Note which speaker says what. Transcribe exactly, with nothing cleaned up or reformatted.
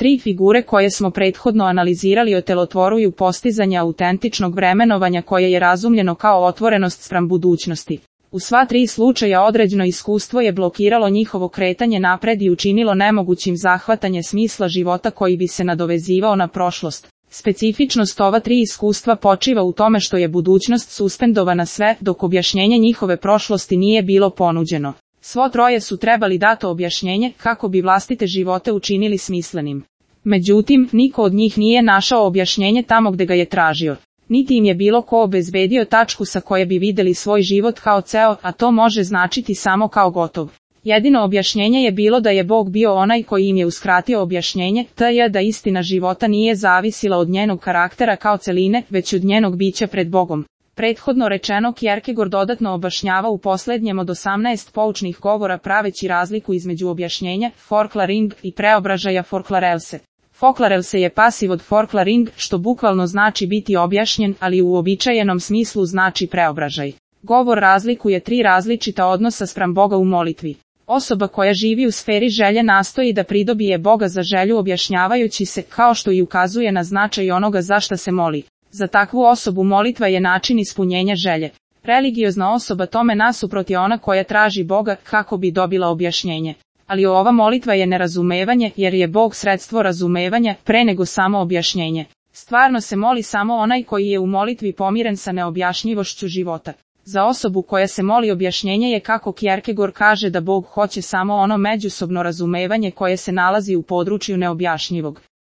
Speaker 1: Tri figure koje smo prethodno analizirali otelotvoruju postizanje autentičnog vremenovanja koje je razumljeno kao otvorenost spram budućnosti. U sva tri slučaja određeno iskustvo je blokiralo njihovo kretanje napred i učinilo nemogućim zahvatanje smisla života koji bi se nadovezivao na prošlost. Specifičnost ova tri iskustva počiva u tome što je budućnost suspendovana sve, dok objašnjenje njihove prošlosti nije bilo ponuđeno. Svo troje su trebali dato objašnjenje kako bi vlastite živote učinili smislenim. Međutim, niko od njih nije našao objašnjenje tamo gde ga je tražio. Niti im je bilo ko obezbedio tačku sa koje bi videli svoj život kao ceo, a to može značiti samo kao gotov. Jedino objašnjenje je bilo da je Bog bio onaj koji im je uskratio objašnjenje, to je da istina života nije zavisila od njenog karaktera kao celine, već od njenog bića pred Bogom. Prethodno rečeno Kierkegaard dodatno objašnjava u poslednjem od osamnaest poučnih govora praveći razliku između objašnjenja, forklaring, i preobražaja, forklarelse. Forklarelse je pasiv od forklaring, što bukvalno znači biti objašnjen, ali u uobičajenom smislu znači preobražaj. Govor razlikuje tri različita odnosa spram Boga u molitvi. Osoba koja živi u sferi želje nastoji da pridobije Boga za želju objašnjavajući se, kao što i ukazuje na značaj onoga za šta se moli. Za takvu osobu molitva je način ispunjenja želje. Religiozna osoba tome nasuprot je ona koja traži Boga kako bi dobila objašnjenje. Ali ova molitva je nerazumevanje, jer je Bog sredstvo razumevanja pre nego samo objašnjenje. Stvarno se moli samo onaj koji je u molitvi pomiren sa neobjašnjivošću života. Za osobu koja se moli objašnjenje je, kako Kierkegaard kaže, da Bog hoće samo ono međusobno razumevanje koje se nalazi u području neobjašnjivog.